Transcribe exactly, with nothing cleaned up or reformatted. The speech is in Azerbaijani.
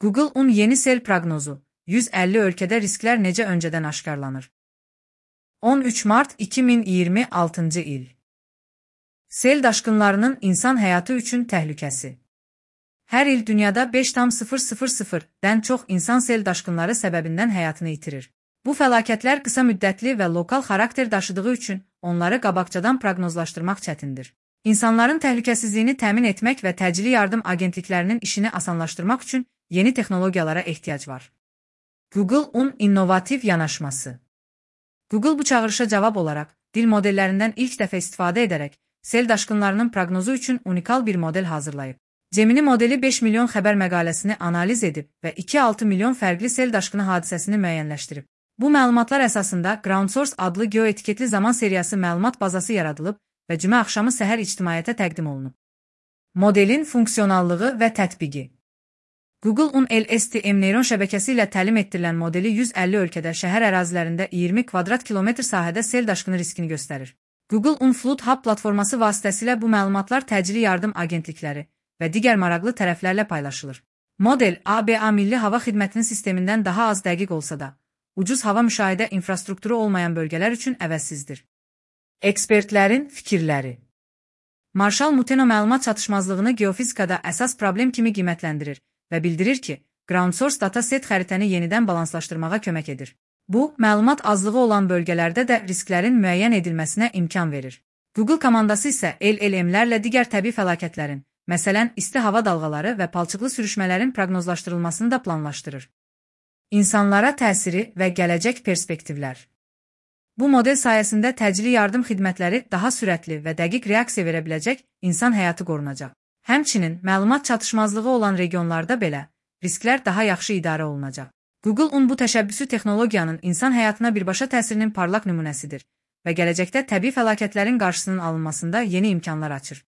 Google Un yeni sel proqnozu. yüz əlli ölkədə risklər necə öncədən aşkarlanır? on üç mart iki min iyirmi altıncı il. Sel daşqınlarının insan həyatı üçün təhlükəsi. Hər il dünyada beş nöqtə dən çox insan sel daşqınları səbəbindən həyatını itirir. Bu fəlakətlər qısa müddətli və lokal xarakter daşıdığı üçün onları qabaqcadan proqnozlaşdırmaq çətindir. İnsanların təhlükəsizliyini təmin etmək və təcili yardım agentliklərinin işini asanlaşdırmaq üçün yeni texnologiyalara ehtiyac var. Google Un innovativ yanaşması. Google bu çağırışa cavab olaraq, dil modellərindən ilk dəfə istifadə edərək, sel daşqınlarının proqnozu üçün unikal bir model hazırlayıb. Gemini modeli beş milyon xəbər məqaləsini analiz edib və iki altı milyon fərqli sel daşqını hadisəsini müəyyənləşdirib. Bu məlumatlar əsasında GroundSource adlı geoetiketli zaman seriyası məlumat bazası yaradılıb və cümə axşamı səhər ictimaiyyətə təqdim olunub. Modelin funksionallığı və tətbiqi. Google Un L S T M neyron şəbəkəsi ilə təlim etdirilən modeli yüz əlli ölkədə şəhər ərazilərində iyirmi kvadrat kilometr sahədə sel daşqını riskini göstərir. Google Un Flood Hub platforması vasitəsilə bu məlumatlar təcili yardım agentlikləri və digər maraqlı tərəflərlə paylaşılır. Model A B A Milli Hava Xidmətinin sistemindən daha az dəqiq olsa da, ucuz hava müşahidə infrastrukturu olmayan bölgələr üçün əvəzsizdir. Ekspertlərin fikirləri. Marshall Muteno məlumat çatışmazlığını geofizikada əsas problem kimi qiymətləndirir və bildirir ki, GroundSource dataset xəritəni yenidən balanslaşdırmağa kömək edir. Bu, məlumat azlığı olan bölgələrdə də risklərin müəyyən edilməsinə imkan verir. Google komandası isə L L M-lərlə digər təbii fəlakətlərin, məsələn, isti hava dalğaları və palçıqlı sürüşmələrin proqnozlaşdırılmasını da planlaşdırır. İnsanlara təsiri və gələcək perspektivlər. Bu model sayəsində təcili yardım xidmətləri daha sürətli və dəqiq reaksiya verə biləcək, insan həyatı qorunacaq. Həmçinin, məlumat çatışmazlığı olan regionlarda belə, risklər daha yaxşı idarə olunacaq. Google Un bu təşəbbüsü texnologiyanın insan həyatına birbaşa təsirinin parlaq nümunəsidir və gələcəkdə təbii fəlakətlərin qarşısının alınmasında yeni imkanlar açır.